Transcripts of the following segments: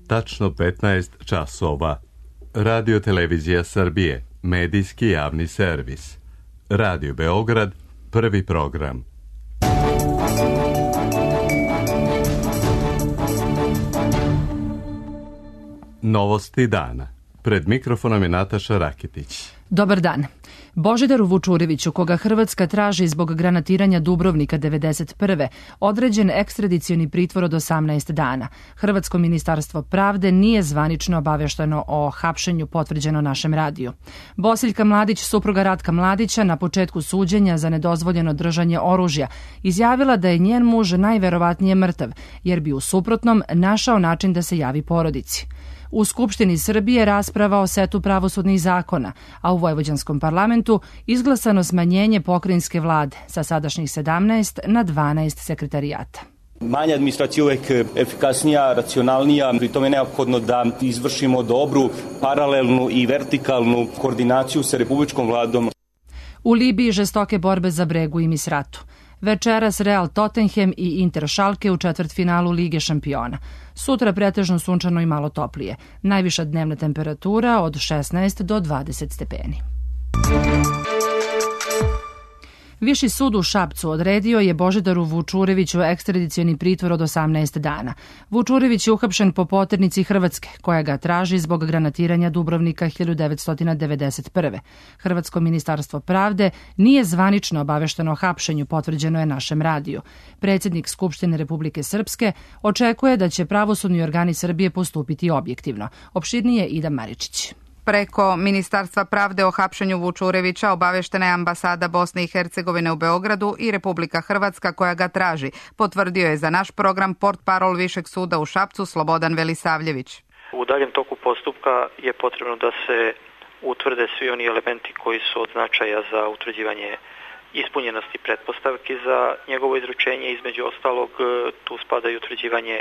tačno 15 časova. Radio Televizija Srbije, medijski javni servis. Radio Beograd, prvi program. Novosti dana. Pred mikrofonom je Nataša Rakitić. Dobar dan. Božidaru Vučureviću, koga Hrvatska traži zbog granatiranja Dubrovnika 1991. određen ekstradicioni pritvor od 18 dana. Hrvatsko ministarstvo pravde nije zvanično obavešteno o hapšenju, potvrđeno našem radiju. Bosiljka Mladić, supruga Ratka Mladića, na početku suđenja za nedozvoljeno držanje oružja, izjavila da je njen muž najverovatnije mrtav, jer bi u suprotnom našao način da se javi porodici. U Skupštini Srbije rasprava o setu pravosudnih zakona, a u Vojvođanskom parlamentu izglasano smanjenje pokrajinske vlade sa sadašnjih 17 na 12 sekretarijata. Manja administracija je uvek efikasnija, racionalnija, pri tome je neophodno da izvršimo dobru, paralelnu i vertikalnu koordinaciju sa Republičkom vladom. U Libiji žestoke borbe za Bregu i Misratu. Večeras Real Tottenham i Inter Schalke u četvrtfinalu Lige šampiona. Sutra pretežno sunčano i malo toplije. Najviša dnevna temperatura od 16 do 20 stepeni. Viši sud u Šapcu odredio je Božidaru Vučureviću ekstradicioni pritvor od 18 dana. Vučurević je uhapšen po poternici Hrvatske, koja ga traži zbog granatiranja Dubrovnika 1991. Hrvatsko ministarstvo pravde nije zvanično obavešteno o hapšenju, potvrđeno je našem radiju. Predsjednik Skupštine Republike Srpske očekuje da će pravosudni organi Srbije postupiti objektivno. Opširnije Ida Maričić. Preko Ministarstva pravde o hapšenju Vučurevića obaveštena je ambasada Bosne i Hercegovine u Beogradu i Republika Hrvatska koja ga traži, potvrdio je za naš program portparol Višeg suda u Šapcu Slobodan Velisavljević. U daljem toku postupka je potrebno da se utvrde svi oni elementi koji su od značaja za utvrđivanje ispunjenosti pretpostavki za njegovo izručenje. Između ostalog, tu spada i utvrđivanje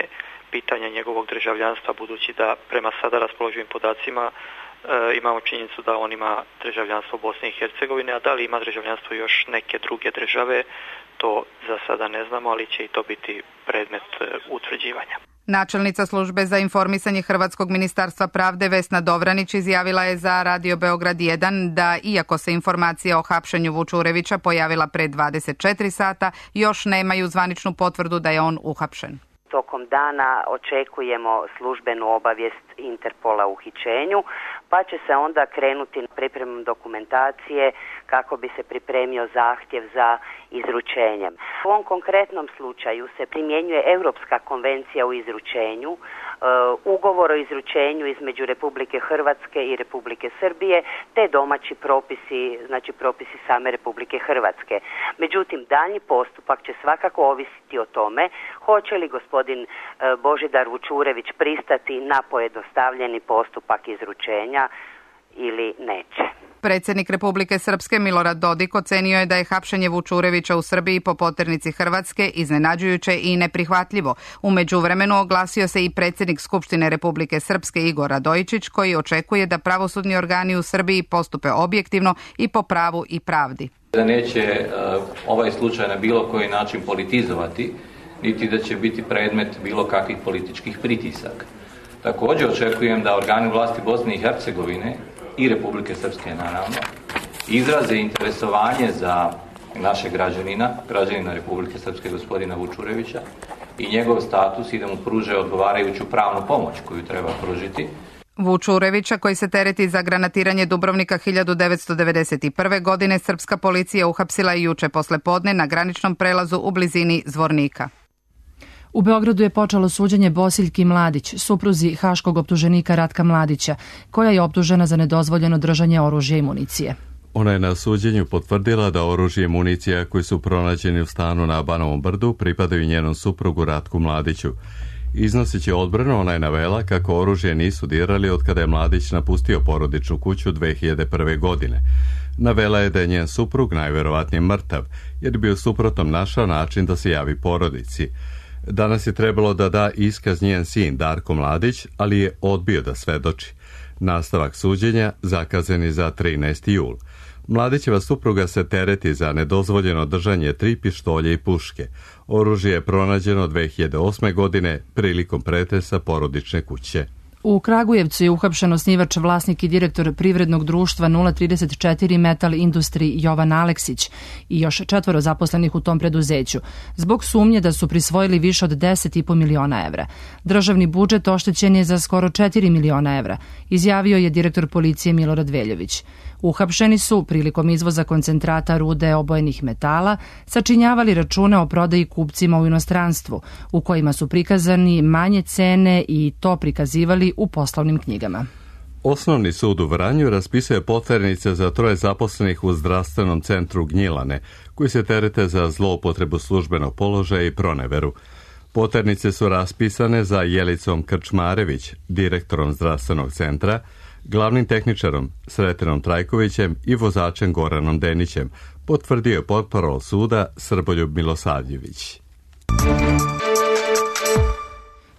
pitanja njegovog državljanstva, budući da prema sada raspoloživim podacima imamo činjenicu da on ima državljanstvo Bosne i Hercegovine, a da li ima državljanstvo još neke druge države, to za sada ne znamo, ali će i to biti predmet utvrđivanja. Načelnica službe za informisanje Hrvatskog ministarstva pravde Vesna Dovranić izjavila je za Radio Beograd 1 da, iako se informacija o hapšenju Vučurevića pojavila pre 24 sata, još nemaju zvaničnu potvrdu da je on uhapšen. Tokom dana očekujemo službenu obavijest Interpola o uhićenju, pa će se onda krenuti pripremom dokumentacije kako bi se pripremio zahtjev za izručenjem. U ovom konkretnom slučaju se primjenjuje Europska konvencija o izručenju, ugovor o izručenju između Republike Hrvatske i Republike Srbije, te domaći propisi, znači propisi same Republike Hrvatske. Međutim, daljnji postupak će svakako ovisiti o tome hoće li gospodin Božidar Vučurević pristati na pojednostavljeni postupak izručenja ili neće. Predsjednik Republike Srpske Milorad Dodik ocenio je da je hapšenje Vučurevića u Srbiji po poternici Hrvatske iznenađujuće i neprihvatljivo. U međuvremenu oglasio se i predsjednik Skupštine Republike Srpske Igor Radojičić, koji očekuje da pravosudni organi u Srbiji postupe objektivno i po pravu i pravdi. Da neće ovaj slučaj na bilo koji način politizovati, niti da će biti predmet bilo kakvih političkih pritisaka. Također očekujem da organi vlasti Bosne i Hercegovine i Republike Srpske, naravno, izraze interesovanje za našeg građanina Republike Srpske gospodina Vučurevića i njegov status i da mu pruže odgovarajuću pravnu pomoć koju treba pružiti. Vučurevića, koji se tereti za granatiranje Dubrovnika 1991. godine, srpska policija uhapsila i juče poslepodne na graničnom prelazu u blizini Zvornika. U Beogradu je počelo suđenje Bosiljki Mladić, supruzi haškog optuženika Ratka Mladića, koja je optužena za nedozvoljeno držanje oružja i municije. Ona je na suđenju potvrdila da oružje i municija koji su pronađeni u stanu na Banovom brdu pripadaju njenom suprugu Ratku Mladiću. Iznoseći odbranu, ona je navela kako oružje nisu dirali od kada je Mladić napustio porodičnu kuću 2001. godine. Navela je da je njen suprug najverovatnije mrtav, jer bi u suprotnom našao način da se javi porodici. Danas je trebalo da da iskaz njen sin Darko Mladić, ali je odbio da svedoči. Nastavak suđenja zakazan je za 13. jul. Mladićeva supruga se tereti za nedozvoljeno držanje 3 pištolje i puške. Oružje je pronađeno 2008. godine prilikom pretresa porodične kuće. U Kragujevcu je uhapšen osnivač, vlasnik i direktor privrednog društva 034 Metal Industry Jovan Aleksić i još 4 zaposlenih u tom preduzeću, zbog sumnje da su prisvojili više od 10,5 miliona evra. Državni budžet oštećen je za skoro 4 miliona evra, izjavio je direktor policije Milorad Veljović. Uhapšeni su, prilikom izvoza koncentrata rude obojenih metala, sačinjavali račune o prodaji kupcima u inostranstvu, u kojima su prikazani manje cene i to prikazivali u poslovnim knjigama. Osnovni sud u Vranju raspisuje poternice za 3 zaposlenih u zdravstvenom centru Gnjilane, koji se terete za zloupotrebu službenog položaja i proneveru. Poternice su raspisane za Jelicom Krčmarević, direktorom zdravstvenog centra, glavnim tehničarom Sretinom Trajkovićem i vozačem Goranom Denićem, potvrdio je portparol suda Srboljub Milosavljević.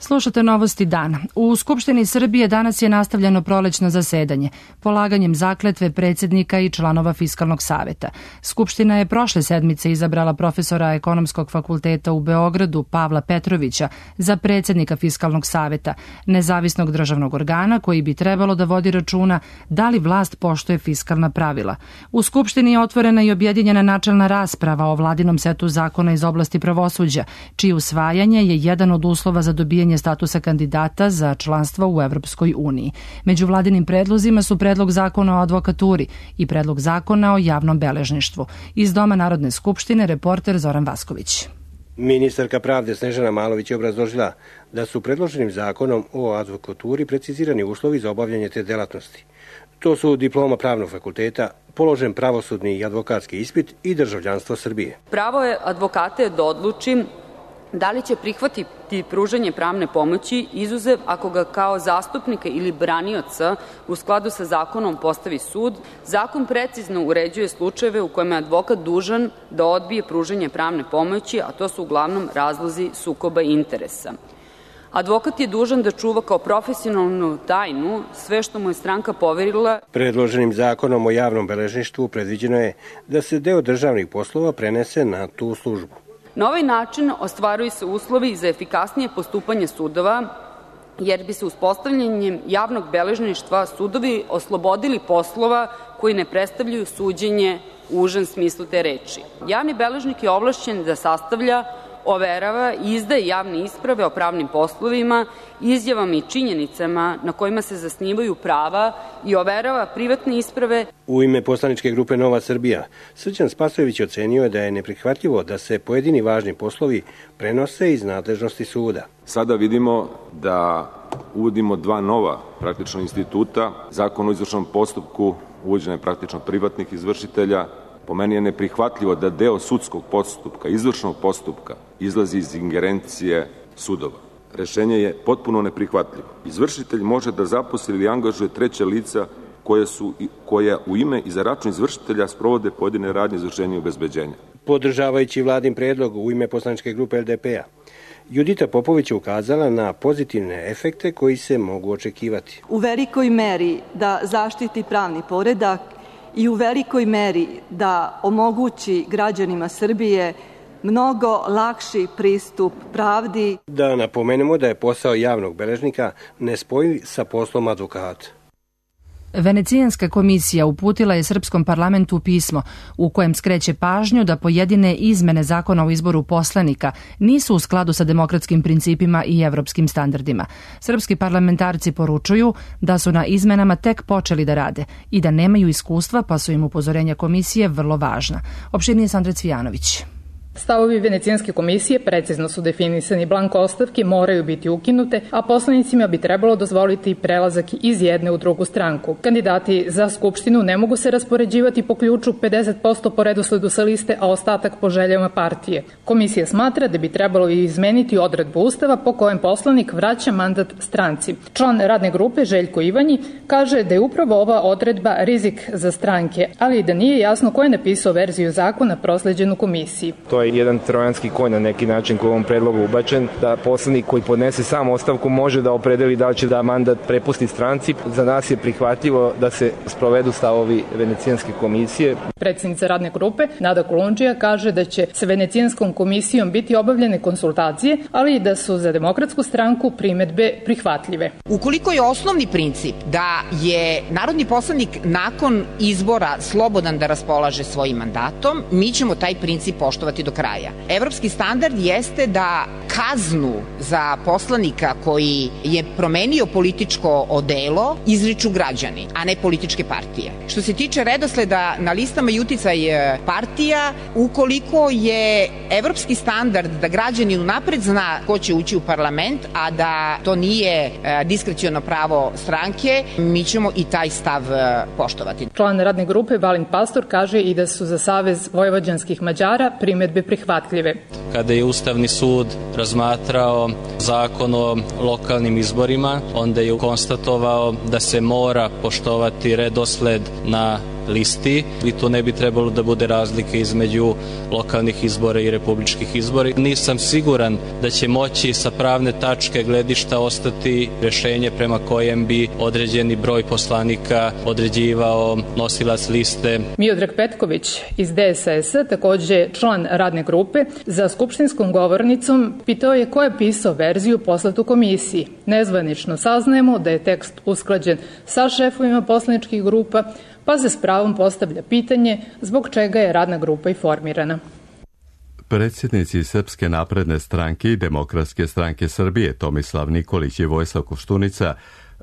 Slušate novosti dana. U Skupštini Srbije danas je nastavljeno prolećno zasedanje, polaganjem zakletve predsjednika i članova Fiskalnog saveta. Skupština je prošle sedmice izabrala profesora Ekonomskog fakulteta u Beogradu Pavla Petrovića za predsjednika Fiskalnog saveta, nezavisnog državnog organa koji bi trebalo da vodi računa da li vlast poštuje fiskalna pravila. U Skupštini je otvorena i objedinjena načelna rasprava o vladinom setu zakona iz oblasti pravosuđa, čije usvajanje je jedan od uslova za dobijanje statusa kandidata za članstvo u Evropskoj uniji. Među vladinim predlozima su predlog zakona o advokaturi i predlog zakona o javnom beležništvu. Iz Doma Narodne skupštine reporter Zoran Vasković. Ministarka pravde Snežana Malović je obrazložila da su predloženim zakonom o advokaturi precizirani uslovi za obavljanje te delatnosti. To su diploma pravnog fakulteta, položen pravosudni i advokatski ispit i državljanstvo Srbije. Pravo je advokate da odluči da li će prihvatiti pružanje pravne pomoći, izuzev ako ga kao zastupnika ili branioca u skladu sa zakonom postavi sud. Zakon precizno uređuje slučajeve u kojima je advokat dužan da odbije pružanje pravne pomoći, a to su uglavnom razlozi sukoba interesa. Advokat je dužan da čuva kao profesionalnu tajnu sve što mu je stranka poverila. Predloženim zakonom o javnom beležništvu predviđeno je da se deo državnih poslova prenese na tu službu. Na ovaj način ostvaruju se uslovi za efikasnije postupanje sudova, jer bi se uspostavljanjem javnog beležništva sudovi oslobodili poslova koji ne predstavljaju suđenje u užem smislu te reči. Javni beležnik je ovlašćen da sastavlja, overava i izdaje javne isprave o pravnim poslovima, izjavama i činjenicama na kojima se zasnivaju prava i overava privatne isprave. U ime poslaničke grupe Nova Srbija, Srđan Spasojević ocenio je da je neprihvatljivo da se pojedini važni poslovi prenose iz nadležnosti suda. Sada vidimo da uvodimo 2 nova praktično instituta, Zakon o izvršnom postupku, uvođenje praktično privatnih izvršitelja. Po meni je neprihvatljivo da deo sudskog postupka, izvršnog postupka, izlazi iz ingerencije sudova. Rešenje je potpuno neprihvatljivo. Izvršitelj može da zaposli ili angažuje treća lica koja u ime i za račun izvršitelja sprovode pojedine radnje izvršenja i obezbeđenja. Podržavajući vladin predlog u ime poslaničke grupe LDP-a, Judita Popović je ukazala na pozitivne efekte koji se mogu očekivati. U velikoj meri da zaštiti pravni poredak i u velikoj meri da omogući građanima Srbije mnogo lakši pristup pravdi. Da napomenemo da je posao javnog beležnika nespojiv sa poslom advokata. Venecijanska komisija uputila je Srpskom parlamentu pismo u kojem skreće pažnju da pojedine izmene zakona o izboru poslanika nisu u skladu sa demokratskim principima i evropskim standardima. Srpski parlamentarci poručuju da su na izmenama tek počeli da rade i da nemaju iskustva, pa su im upozorenja komisije vrlo važna. Opširnije Sandra Cvijanović. Stavovi Venecijanske komisije precizno su definisani, blanko ostavke moraju biti ukinute, a poslanicima bi trebalo dozvoliti prelazak iz jedne u drugu stranku. Kandidati za Skupštinu ne mogu se raspoređivati po ključu 50% po redosledu sa liste, a ostatak po željama partije. Komisija smatra da bi trebalo izmeniti odredbu Ustava po kojem poslanik vraća mandat stranci. Član radne grupe Željko Ivanji kaže da je upravo ova odredba rizik za stranke, ali i da nije jasno ko je napisao verziju zakona prosleđenu komisiji. To je jedan trojanski konj na neki način koji u ovom predlogu ubačen, da poslanik koji podnese sam ostavku može da opredeli da li će da mandat prepusti stranci. Za nas je prihvatljivo da se sprovedu stavovi Venecijanske komisije. Predsjednica radne grupe Nada Kolundžija kaže da će sa Venecijanskom komisijom biti obavljene konsultacije, ali i da su za Demokratsku stranku primedbe prihvatljive. Ukoliko je osnovni princip da je narodni poslanik nakon izbora slobodan da raspolaže svojim mandatom, mi ćemo taj princip poštovati do kraja. Evropski standard jeste da kaznu za poslanika koji je promenio političko odelo izriču građani, a ne političke partije. Što se tiče redosleda na listama i uticaj partija, ukoliko je evropski standard da građanin unapred zna ko će ući u parlament, a da to nije diskreciono pravo stranke, mi ćemo i taj stav poštovati. Član radne grupe Balint Pastor kaže i da su za Savez vojvođanskih Mađara primedbe prihvatljive. Kada je Ustavni sud razmatrao zakon o lokalnim izborima, onda je konstatovao da se mora poštovati redosled na listi i tu ne bi trebalo da bude razlike između lokalnih izbora i republičkih izbora. Nisam siguran da će moći sa pravne tačke gledišta ostati rešenje prema kojem bi određeni broj poslanika određivao nosilac liste. Miodrag Petković iz DSS-a, takođe član radne grupe, za skupštinskom govornicom pitao je ko je pisao verziju poslatu komisiji. Nezvanično saznajemo da je tekst usklađen sa šefovima poslaničkih grupa, pa se s pravom postavlja pitanje zbog čega je radna grupa i formirana. Predsjednici Srpske napredne stranke i Demokratske stranke Srbije Tomislav Nikolić i Vojislav Koštunica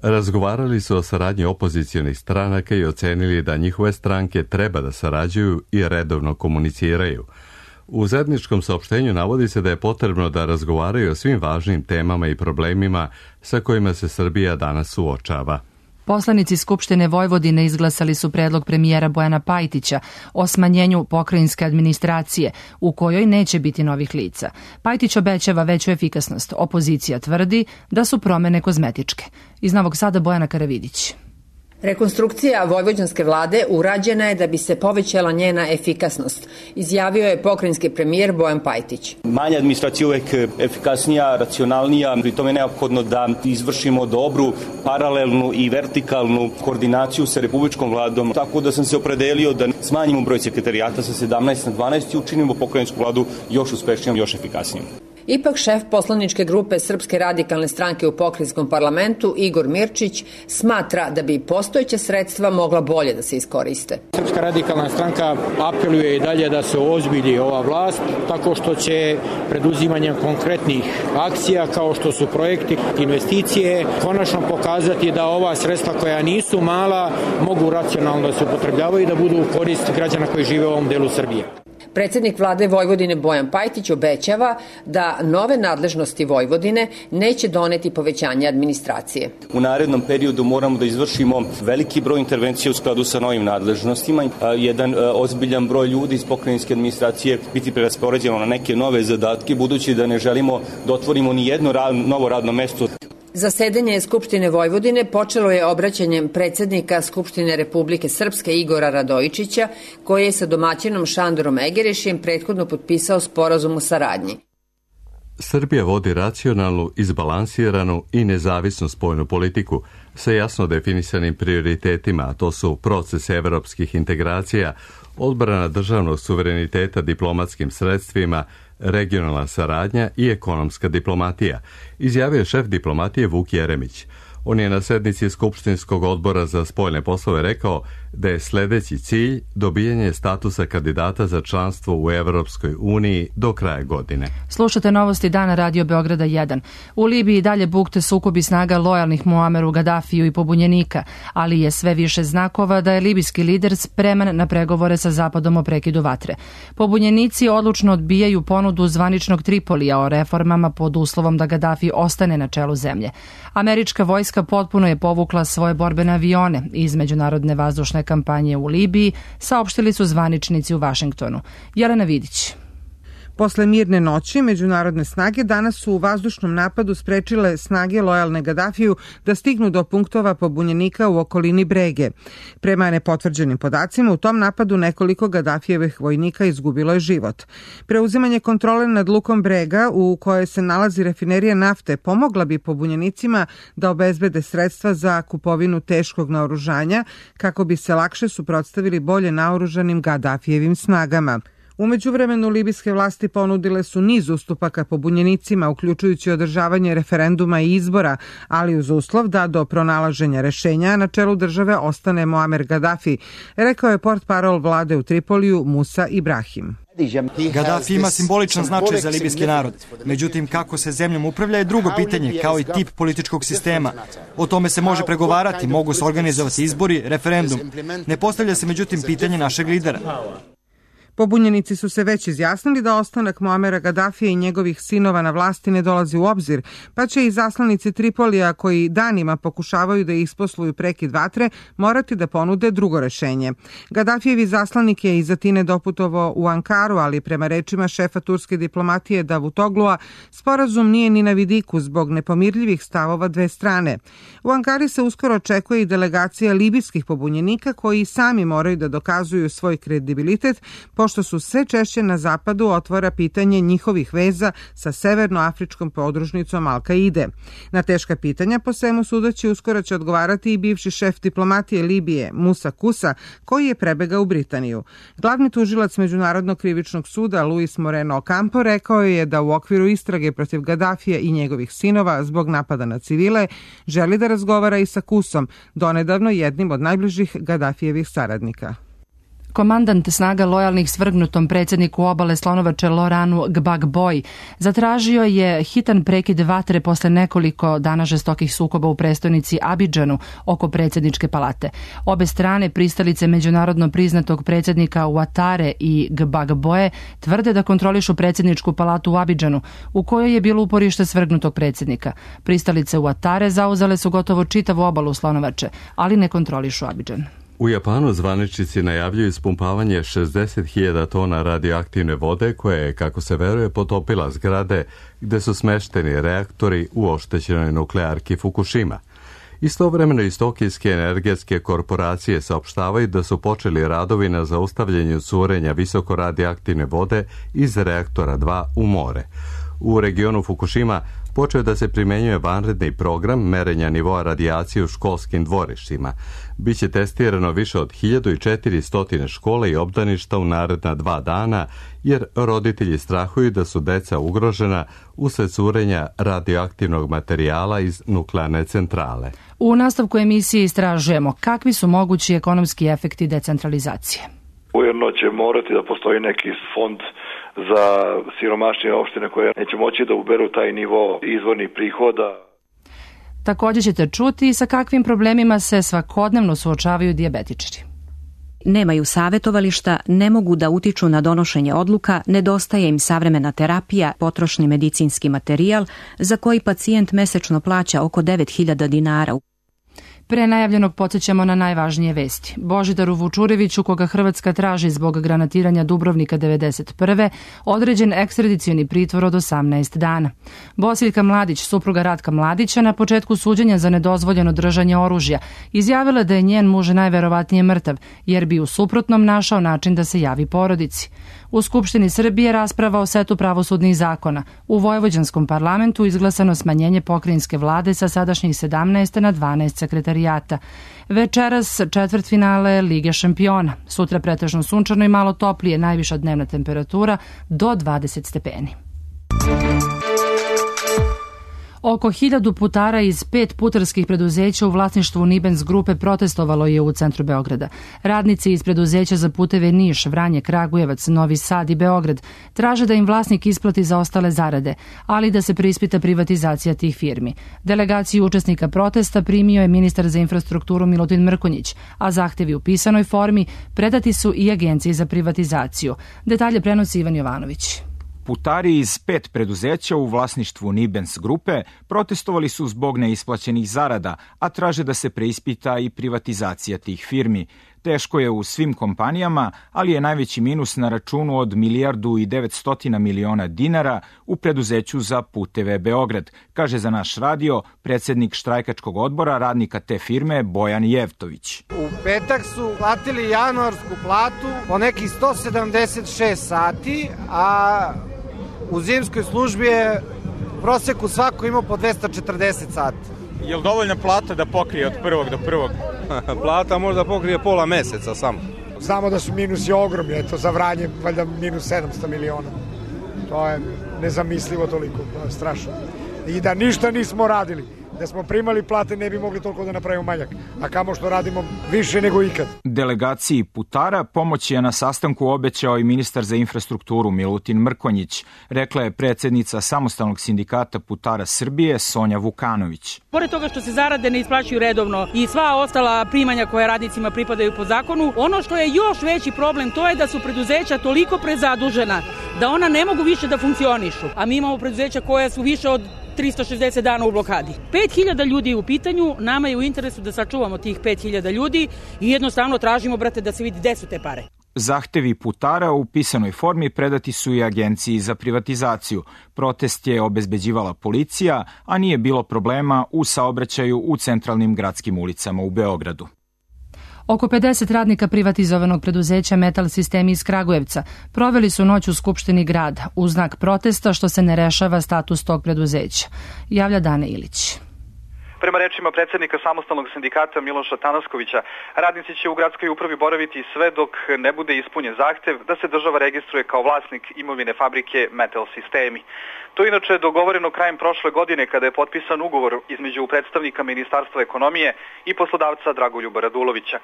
razgovarali su o saradnji opozicionih stranaka i ocenili da njihove stranke treba da sarađuju i redovno komuniciraju. U zajedničkom saopštenju navodi se da je potrebno da razgovaraju o svim važnim temama i problemima sa kojima se Srbija danas suočava. Poslanici Skupštine Vojvodine izglasali su predlog premijera Bojana Pajtića o smanjenju pokrajinske administracije, u kojoj neće biti novih lica. Pajtić obećava veću efikasnost. Opozicija tvrdi da su promene kozmetičke. Iz Novog Sada Bojana Karavidić. Rekonstrukcija vojvođanske vlade urađena je da bi se povećala njena efikasnost, izjavio je pokrajinski premijer Bojan Pajtić. Manja administracija uvek efikasnija, racionalnija, pri tome je neophodno da izvršimo dobru, paralelnu i vertikalnu koordinaciju sa republičkom vladom, tako da sam se opredelio da smanjimo broj sekretarijata sa 17 na 12 i učinimo pokrajinsku vladu još uspešnijom, još efikasnijom. Ipak šef poslaničke grupe Srpske radikalne stranke u pokrajinskom parlamentu Igor Mirčić smatra da bi postojeća sredstva mogla bolje da se iskoriste. Srpska radikalna stranka apeluje i dalje da se ozbilji ova vlast tako što će preduzimanjem konkretnih akcija kao što su projekti, investicije, konačno pokazati da ova sredstva koja nisu mala mogu racionalno da se upotrebljavaju i da budu u korist građana koji žive u ovom delu Srbije. Predsjednik vlade Vojvodine Bojan Pajtić obećava da nove nadležnosti Vojvodine neće doneti povećanje administracije. U narednom periodu moramo da izvršimo veliki broj intervencija u skladu sa novim nadležnostima. Jedan ozbiljan broj ljudi iz pokrajinske administracije biti preraspoređeno na neke nove zadatke, budući da ne želimo da otvorimo ni jedno novo radno mesto. Zasedanje Skupštine Vojvodine počelo je obraćanjem predsjednika Skupštine Republike Srpske Igora Radojičića, koji je sa domaćinom Šandorom Egerešijem prethodno potpisao sporazum o saradnji. Srbija vodi racionalnu, izbalansiranu i nezavisnu spoljnu politiku sa jasno definisanim prioritetima, a to su proces evropskih integracija, odbrana državnog suvereniteta diplomatskim sredstvima, regionalna saradnja i ekonomska diplomatija, izjavio je šef diplomatije Vuk Jeremić. On je na sednici Skupštinskog odbora za spoljne poslove rekao da je sljedeći cilj dobijanje statusa kandidata za članstvo u Evropskoj uniji do kraja godine. Slušate novosti dana Radio Beograda 1. U Libiji dalje bukte sukobi snaga lojalnih Muameru Gadafiju i pobunjenika, ali je sve više znakova da je libijski lider spreman na pregovore sa Zapadom o prekidu vatre. Pobunjenici odlučno odbijaju ponudu zvaničnog Tripolija o reformama pod uslovom da Gadafi ostane na čelu zemlje. Američka vojska potpuno je povukla svoje borbene avione iz međunarodne vazdušne kampanje u Libiji, saopštili su zvaničnici u Vašingtonu. Jelena Vidić. Posle mirne noći, međunarodne snage danas su u vazdušnom napadu sprečile snage lojalne Gadafiju da stignu do punktova pobunjenika u okolini Brege. Prema nepotvrđenim podacima, u tom napadu nekoliko Gadafijevih vojnika izgubilo je život. Preuzimanje kontrole nad lukom Brega, u kojoj se nalazi rafinerija nafte, pomogla bi pobunjenicima da obezbede sredstva za kupovinu teškog naoružanja kako bi se lakše suprotstavili bolje naoružanim Gadafijevim snagama. U međuvremenu libijske vlasti ponudile su niz ustupaka pobunjenicima, uključujući održavanje referenduma i izbora, ali uz uslov da do pronalaženja rešenja na čelu države ostane Muamer Gaddafi, rekao je portparol vlade u Tripoliju Musa Ibrahim. Gaddafi ima simboličan značaj za libijski narod. Međutim, kako se zemljom upravlja je drugo pitanje, kao i tip političkog sistema. O tome se može pregovarati, mogu se organizovati izbori, referendum. Ne postavlja se međutim pitanje našeg lidera. Pobunjenici su se već izjasnili da ostanak Muamera Gaddafija i njegovih sinova na vlasti ne dolazi u obzir, pa će i zaslanici Tripolija koji danima pokušavaju da isposluju prekid vatre morati da ponude drugo rešenje. Gaddafijevi zaslanik je iz Atine doputovao u Ankaru, ali prema rečima šefa turske diplomatije Davutoglua, sporazum nije ni na vidiku zbog nepomirljivih stavova dve strane. U Ankari se uskoro očekuje i delegacija libijskih pobunjenika koji sami moraju da dokazuju svoj kredibilitet, pošto su sve češće na zapadu otvara pitanje njihovih veza sa severnoafričkom podružnicom Al-Kaide. Na teška pitanja po svemu sudeći uskoro će odgovarati i bivši šef diplomatije Libije Musa Kusa, koji je prebegao u Britaniju. Glavni tužilac Međunarodnog krivičnog suda Luis Moreno Ocampo rekao je da u okviru istrage protiv Gaddafija i njegovih sinova zbog napada na civile želi da razgovara i sa Kusom, donedavno jednim od najbližih Gaddafijevih saradnika. Komandant snaga lojalnih svrgnutom predsjedniku obale Slonovače Loranu Gbagboj zatražio je hitan prekid vatre posle nekoliko dana žestokih sukoba u prestonici Abidžanu oko predsjedničke palate. Obe strane, pristalice međunarodno priznatog predsjednika Ouattare i Gbagboje, tvrde da kontrolišu predsjedničku palatu u Abidžanu, u kojoj je bilo uporište svrgnutog predsjednika. Pristalice Ouattare zauzele su gotovo čitavu obalu Slonovače, ali ne kontrolišu Abidžan. U Japanu zvaničnici najavljuju ispumpavanje 60.000 tona radioaktivne vode koja je, kako se veruje, potopila zgrade gde su smešteni reaktori u oštećenoj nuklearki Fukushima. Istovremeno iz Tokijske energetske korporacije saopštavaju da su počeli radovi na zaustavljanju curenja visoko radioaktivne vode iz reaktora 2 u more. U regionu Fukushima počeo da se primenjuje vanredni program merenja nivoa radijacije u školskim dvorištima. Biće testirano više od 1400 škola i obdaništa u naredna 2 dana, jer roditelji strahuju da su deca ugrožena usled curenja radioaktivnog materijala iz nuklearne centrale. U nastavku emisije istražujemo kakvi su mogući ekonomski efekti decentralizacije. Ujedno će morati da postoji neki fond za siromašnije opštine koje neće moći da uberu taj nivo izvornih prihoda. Također ćete čuti sa kakvim problemima se svakodnevno suočavaju dijabetičari. Nemaju savjetovališta, ne mogu da utiču na donošenje odluka, nedostaje im savremena terapija, potrošni medicinski materijal za koji pacijent mesečno plaća oko 9.000 dinara. Pre najavljenog podsjećamo na najvažnije vesti. Božidaru Vučureviću, koga Hrvatska traži zbog granatiranja Dubrovnika 1991. određen ekstradicioni pritvor od 18 dana. Bosiljka Mladić, supruga Ratka Mladića, na početku suđenja za nedozvoljeno držanje oružja, izjavila da je njen muž najverovatnije mrtav, jer bi u suprotnom našao način da se javi porodici. U Skupštini Srbije rasprava o setu pravosudnih zakona. U Vojvođanskom parlamentu izglasano smanjenje pokrajinske vlade sa sadašnjih 17 na 12 sekretarijata. Večeras četvrtfinale Lige šampiona. Sutra pretežno sunčano i malo toplije, najviša dnevna temperatura do 20 stepeni. Oko 1000 putara iz 5 putarskih preduzeća u vlasništvu Nibens grupe protestovalo je u centru Beograda. Radnici iz preduzeća za puteve Niš, Vranje, Kragujevac, Novi Sad i Beograd traže da im vlasnik isplati zaostale zarade, ali da se preispita privatizacija tih firmi. Delegaciju učesnika protesta primio je ministar za infrastrukturu Milutin Mrkonjić, a zahtevi u pisanoj formi predati su i Agenciji za privatizaciju. Detalje prenosi Ivan Jovanović. Putari iz 5 preduzeća u vlasništvu Nibens grupe protestovali su zbog neisplaćenih zarada, a traže da se preispita i privatizacija tih firmi. Teško je u svim kompanijama, ali je najveći minus na računu od 1.900 miliona dinara u preduzeću za puteve Beograd, kaže za naš radio predsednik štrajkačkog odbora radnika te firme Bojan Jevtović. U petak su platili januarsku platu po nekih 176 sati, a u zimskoj službi je u proseku svako imao po 240 sati. Je li dovoljna plata da pokrije od prvog do prvog? Plata možda pokrije pola meseca samo. Znamo da su minusi ogromni, eto za Vranje valjda minus 700 miliona. To je nezamislivo toliko, strašno. I da ništa nismo radili. Da smo primali plate ne bi mogli toliko da napravimo manjak, a kamo što radimo više nego ikad. Delegaciji putara pomoć je na sastanku obećao i ministar za infrastrukturu Milutin Mrkonjić, rekla je predsednica Samostalnog sindikata putara Srbije Sonja Vukanović. Pored toga što se zarade ne isplaćuju redovno i sva ostala primanja koja radnicima pripadaju po zakonu, ono što je još veći problem to je da su preduzeća toliko prezadužena da ona ne mogu više da funkcionišu, a mi imamo preduzeća koja su više od 360 dana u blokadi. 5000 ljudi je u pitanju, nama je u interesu da sačuvamo tih 5000 ljudi i jednostavno tražimo, brate, da se vidi gde su te pare. Zahtevi putara u pisanoj formi predati su i Agenciji za privatizaciju. Protest je obezbeđivala policija, a nije bilo problema u saobraćaju u centralnim gradskim ulicama u Beogradu. Oko 50 radnika privatizovanog preduzeća Metal Sistemi iz Kragujevca proveli su noć u Skupštini grada u znak protesta što se ne rešava status tog preduzeća. Javlja Dane Ilić. Prema rečima predsednika Samostalnog sindikata Miloša Tanaskovića, radnici će u gradskoj upravi boraviti sve dok ne bude ispunjen zahtev da se država registruje kao vlasnik imovine fabrike Metal Sistemi. To je inače dogovoreno krajem prošle godine kada je potpisan ugovor između predstavnika Ministarstva ekonomije i poslodavca Dragoljuba Radulovića.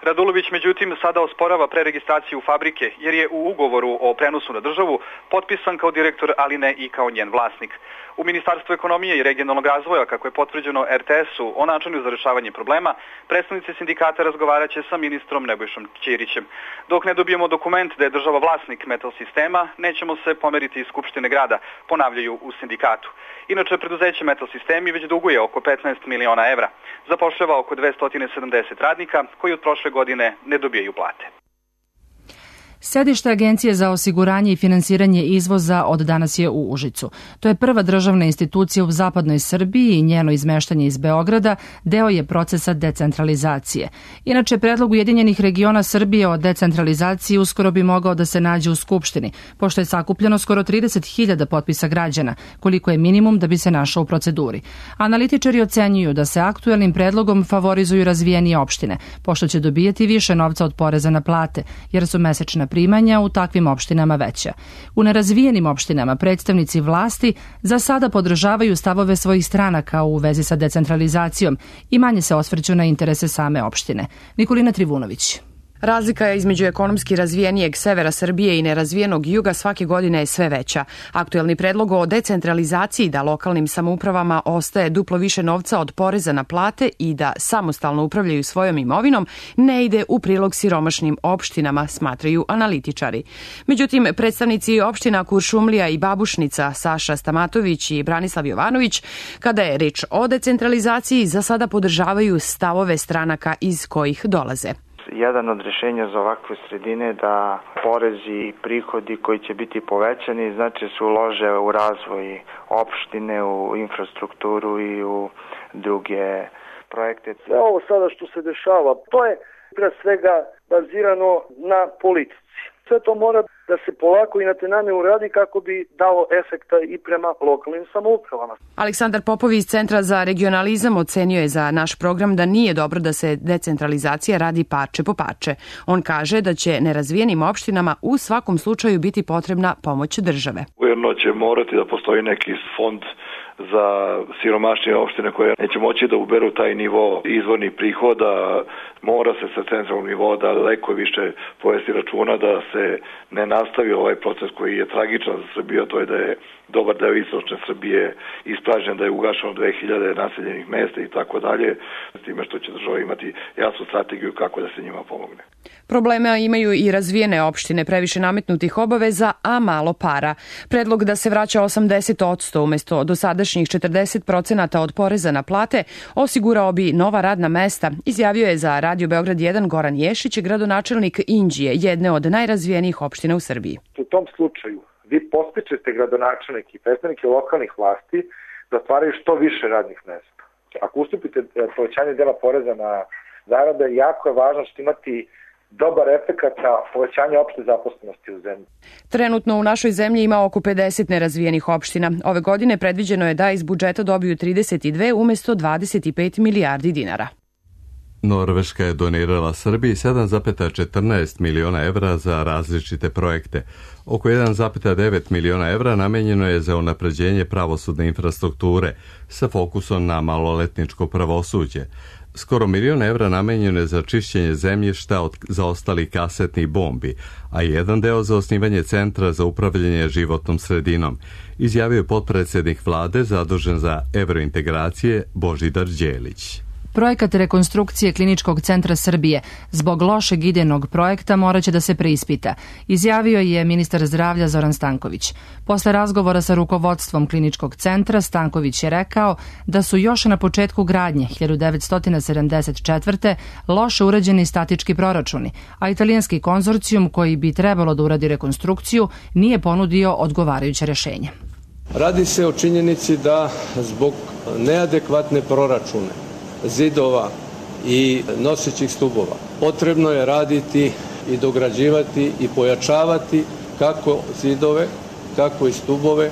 Radulović međutim sada osporava preregistraciju fabrike jer je u ugovoru o prenosu na državu potpisan kao direktor, ali ne i kao njen vlasnik. U Ministarstvu ekonomije i regionalnog razvoja, kako je potvrđeno RTS-u o načinu za rešavanje problema, predstavnici sindikata razgovarat će sa ministrom Nebojšom Ćirićem. Dok ne dobijemo dokument da je država vlasnik Metal Sistema, nećemo se pomeriti iz Skupštine grada, ponavljaju u sindikatu. Inače, preduzeće Metal Sistemi već duguje oko 15 miliona evra. Zapošljava oko 270 radnika koji od prošle godine ne dobijaju plate. Sedište Agencije za osiguranje i finansiranje izvoza od danas je u Užicu. To je prva državna institucija u zapadnoj Srbiji i njeno izmeštanje iz Beograda deo je procesa decentralizacije. Inače, predlog Ujedinjenih regiona Srbije o decentralizaciji uskoro bi mogao da se nađe u Skupštini, pošto je sakupljeno skoro 30.000 potpisa građana, koliko je minimum da bi se našao u proceduri. Analitičari ocenjuju da se aktuelnim predlogom favorizuju razvijenije opštine, pošto će dobijati više novca od poreza na plate, jer su mesečna primanja u takvim opštinama veća. U nerazvijenim opštinama predstavnici vlasti za sada podržavaju stavove svojih stranaka u vezi sa decentralizacijom i manje se osvrću na interese same opštine. Nikolina Trivunović. Razlika između ekonomski razvijenijeg severa Srbije i nerazvijenog juga svake godine je sve veća. Aktuelni predlog o decentralizaciji da lokalnim samoupravama ostaje duplo više novca od poreza na plate i da samostalno upravljaju svojom imovinom ne ide u prilog siromašnim opštinama, smatraju analitičari. Međutim, predstavnici opština Kuršumlija i Babušnica, Saša Stamatović i Branislav Jovanović, kada je reč o decentralizaciji, za sada podržavaju stavove stranaka iz kojih dolaze. Jedan od rešenja za ovakve sredine da porezi i prihodi koji će biti povećani znači se ulože u razvoj opštine, u infrastrukturu i u druge projekte. Sve ovo sada što se dešava, to je pre svega bazirano na politici. Sve to mora da se polako i na tenane uradi kako bi dalo efekta i prema lokalnim samoupravama. Aleksandar Popović iz Centra za regionalizam ocenio je za naš program da nije dobro da se decentralizacija radi parče po parče. On kaže da će nerazvijenim opštinama u svakom slučaju biti potrebna pomoć države. Ujedno će morati da postoji neki fond za siromašnije opštine koje neće moći da uberu taj nivo izvornih prihoda, mora se sa centralnog nivoa daleko više povesti računa da se ne nastavi ovaj proces koji je tragičan za Srbiju, to je da je dobar deo istočne Srbije ispražnjen, da je ugašeno 2000 naseljenih mesta i tako dalje, s time što će država imati jasnu strategiju kako da se njima pomogne. Problema imaju i razvijene opštine, previše nametnutih obaveza, a malo para. Predlog da se vraća 80% umesto dosadašnjih 40% od poreza na plate osigurao bi nova radna mesta, izjavio je za Radio Beograd 1 Goran Ješić, gradonačelnik Inđije, jedne od najrazvijenijih opština u Srbiji. U tom slučaju vi postičete gradonačelnike i predstavnike lokalnih vlasti da otvaraju što više radnih mesta. Ako ustupite povećanje dela poreza na zarade, jako je važno što imati dobar efekat na povećanje opšte zaposlenosti u zemlji. Trenutno u našoj zemlji ima oko 50 nerazvijenih opština. Ove godine predviđeno je da iz budžeta dobiju 32 umesto 25 milijardi dinara. Norveška je donirala Srbiji 7,14 miliona evra za različite projekte. Oko 1,9 miliona evra namenjeno je za unapređenje pravosudne infrastrukture sa fokusom na maloletničko pravosuđe. Skoro milion evra namenjeno je za čišćenje zemljišta od zaostalih kasetnih bombi, a jedan deo za osnivanje Centra za upravljanje životnom sredinom, izjavio je potpredsednik vlade zadužen za evrointegracije Božidar Đelić. Projekat rekonstrukcije Kliničkog centra Srbije zbog lošeg idejnog projekta moraće da se preispita, izjavio je ministar zdravlja Zoran Stanković. Posle razgovora sa rukovodstvom Kliničkog centra, Stanković je rekao da su još na početku gradnje 1974. loše urađeni statički proračuni, a italijanski konzorcijum koji bi trebalo da uradi rekonstrukciju nije ponudio odgovarajuće rešenje. Radi se o činjenici da zbog neadekvatne proračune zidova i nosećih stubova potrebno je raditi i dograđivati i pojačavati kako zidove, tako i stubove,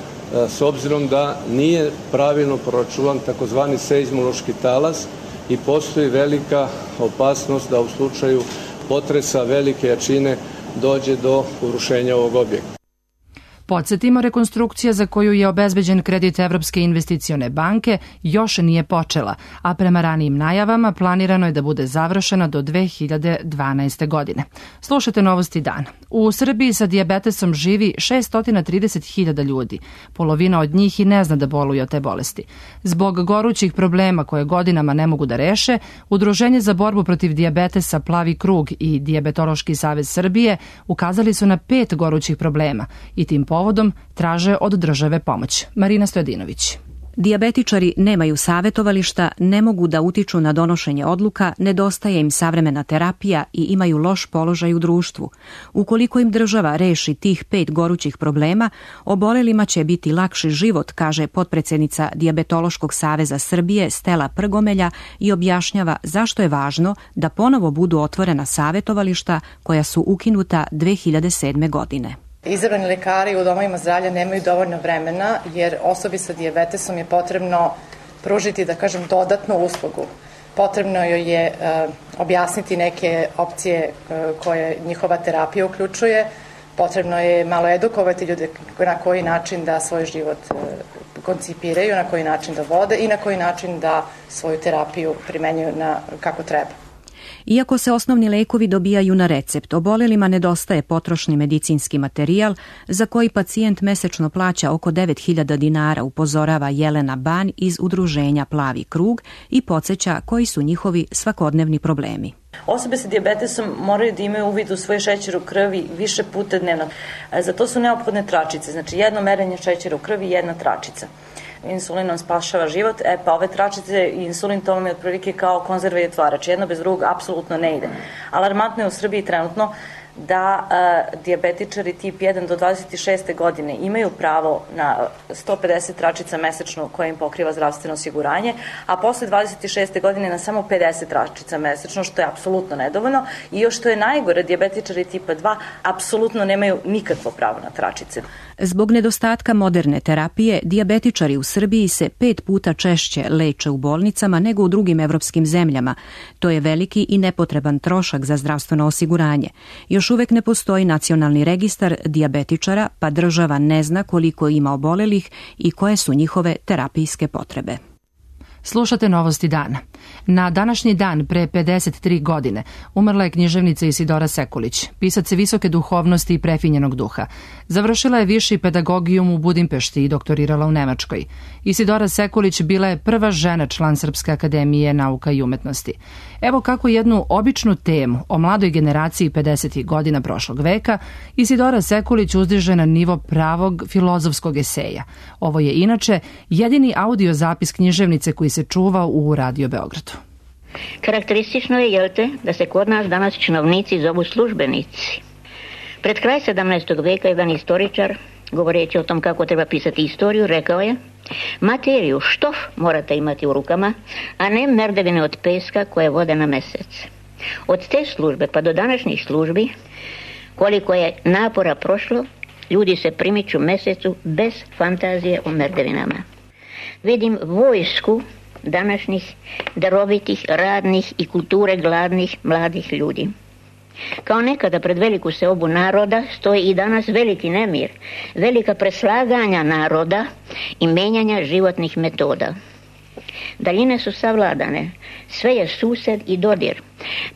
s obzirom da nije pravilno proračunan takozvani seizmološki talas i postoji velika opasnost da u slučaju potresa velike jačine dođe do urušenja ovog objekta. Podsjetimo, rekonstrukcija za koju je obezbeđen kredit Evropske investicione banke još nije počela, a prema ranijim najavama planirano je da bude završena do 2012. godine. Slušajte novosti dana. U Srbiji sa dijabetesom živi 630.000 ljudi. Polovina od njih i ne zna da boluju od te bolesti. Zbog gorućih problema koje godinama ne mogu da reše, Udruženje za borbu protiv dijabetesa Plavi krug i Dijabetološki savez Srbije ukazali su na 5 gorućih problema i tim povodom traže od države pomoć. Marina Stojadinović. Dijabetičari nemaju savetovališta, ne mogu da utiču na donošenje odluka, nedostaje im savremena terapija i imaju loš položaj u društvu. Ukoliko im država reši tih 5 gorućih problema, obolelima će biti lakši život, kaže potpredsednica Dijabetološkog saveza Srbije Stela Prgomelja i objašnjava zašto je važno da ponovo budu otvorena savetovališta koja su ukinuta 2007. godine. Izabrani lekari u domovima zdravlja nemaju dovoljno vremena jer osobi sa dijabetesom je potrebno pružiti, da kažem, dodatnu uslugu. Potrebno joj je objasniti neke opcije koje njihova terapija uključuje. Potrebno je malo edukovati ljude na koji način da svoj život koncipiraju, na koji način da vode i na koji način da svoju terapiju primenjuju kako treba. Iako se osnovni lekovi dobijaju na recept, obolelima nedostaje potrošni medicinski materijal za koji pacijent mesečno plaća oko 9.000 dinara, upozorava Jelena Ban iz udruženja Plavi krug i podsjeća koji su njihovi svakodnevni problemi. Osobe sa dijabetesom moraju da imaju uvid u svoj šećer u krvi više puta dnevno. Za to su neophodne tračice, znači jedno merenje šećera u krvi i jedna tračica. Insulin nam spašava život, pa ove tračice i insulin to vam je otprilike kao konzerva i otvarač. Jedno bez drugog apsolutno ne ide. Alarmantno je u Srbiji trenutno da dijabetičari tip 1 do 26. godine imaju pravo na 150 tračica mesečno koje im pokriva zdravstveno osiguranje, a posle 26. godine na samo 50 tračica mesečno, što je apsolutno nedovoljno. I još što je najgore, dijabetičari tipa 2 apsolutno nemaju nikakvo pravo na tračice. Zbog nedostatka moderne terapije, dijabetičari u Srbiji se 5 puta češće leče u bolnicama nego u drugim evropskim zemljama. To je veliki i nepotreban trošak za zdravstveno osiguranje. Još uvek ne postoji nacionalni registar dijabetičara, pa država ne zna koliko ima obolelih i koje su njihove terapijske potrebe. Slušate Novosti dana. Na današnji dan pre 53 godine umrla je književnica Isidora Sekulić, pisac visoke duhovnosti i prefinjenog duha. Završila je viši pedagogijum u Budimpešti i doktorirala u Nemačkoj. Isidora Sekulić bila je prva žena član Srpske akademije nauka i umetnosti. Evo kako jednu običnu temu o mladoj generaciji 50. godina prošlog veka Isidora Sekulić uzdiže na nivo pravog filozofskog eseja. Ovo je inače jedini audio zapis književnice koji se čuva u Radio Beogradu. Karakteristično je, jelte, da se kod nas danas činovnici zovu službenici. Pred kraj 17. veka jedan istoričar, govoreći o tom kako treba pisati istoriju, rekao je: materiju, štof morate imati u rukama, a ne merdevine od peska koje vode na mesec. Od te službe pa do današnjih službi, koliko je napora prošlo, ljudi se primiču mesecu bez fantazije o merdevinama. Vidim vojsku današnjih darovitih, radnih i kulture gladnih mladih ljudi. Kao nekada pred veliku seobu naroda stoji i danas veliki nemir, velika preslaganja naroda i menjanja životnih metoda. Daljine su savladane, sve je sused i dodir,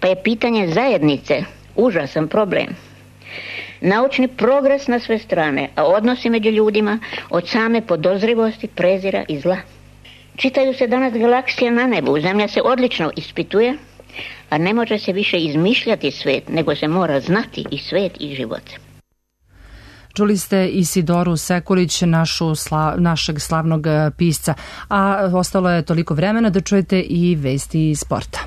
pa je pitanje zajednice užasan problem. Naučni progres na sve strane, a odnosi među ljudima od same podozrivosti, prezira i zla. Čitaju se danas galaksije na nebu, zemlja se odlično ispituje, a ne može se više izmišljati svet, nego se mora znati i svet i život. Čuli ste Isidoru Sekulić, našeg slavnog pisca, a ostalo je toliko vremena da čujete i vesti iz sporta.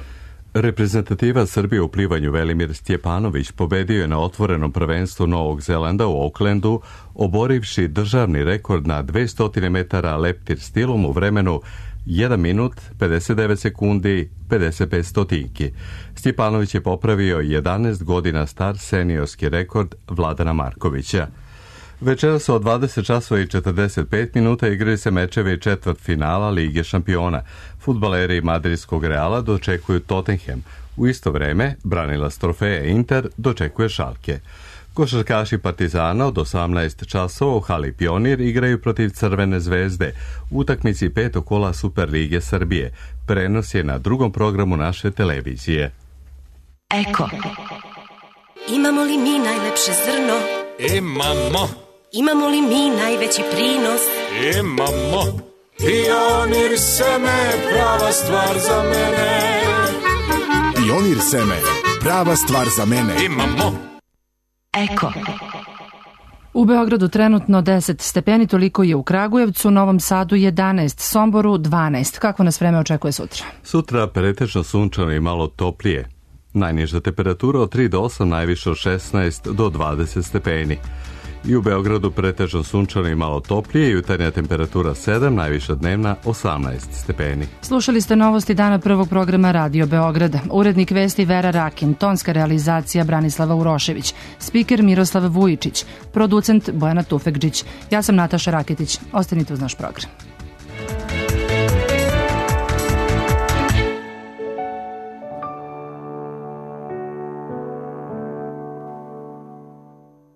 Reprezentativa Srbije u plivanju Velimir Stjepanović pobedio je na otvorenom prvenstvu Novog Zelanda u Aucklandu, oborivši državni rekord na 200 metara leptir stilom u vremenu 1 minut, 59 sekundi, 55 stotinki. Stjepanović je popravio 11 godina star seniorski rekord Vladana Markovića. Večeras od 20 časova i 45 minuta igraju se mečevi četvrtfinala Lige šampiona. Fudbaleri madridskog Reala dočekuju Tottenham. U isto vreme branilac trofeja Inter dočekuje Schalke. Košarkaši Partizana od 18 časova u hali Pionir igraju protiv Crvene zvezde u utakmici 5. kola Super Lige Srbije. Prenos je na drugom programu naše televizije. Eko. Imamo li mi najlepše zrno? Imamo. Imamo li mi najveći prinos? Imamo. Pionir seme, prava stvar za mene. Pionir seme, prava stvar za mene. Imamo. Eko. U Beogradu trenutno 10 stepeni, toliko je u Kragujevcu, Novom Sadu 11, Somboru 12. Kako nas vreme očekuje sutra? Sutra pretežno sunčano i malo toplije. Najniža temperatura od 3 do 8, najviše od 16 do 20 stepeni. I u Beogradu pretežno sunčano i malo toplije, jutarnja temperatura 7, najviša dnevna 18 stepeni. Slušali ste Novosti dana prvog programa Radio Beograda. Urednik vesti Vera Rakin, tonska realizacija Branislava Urošević, spiker Miroslav Vujičić, producent Bojana Tufekđić. Ja sam Nataša Raketić. Ostanite uz naš program.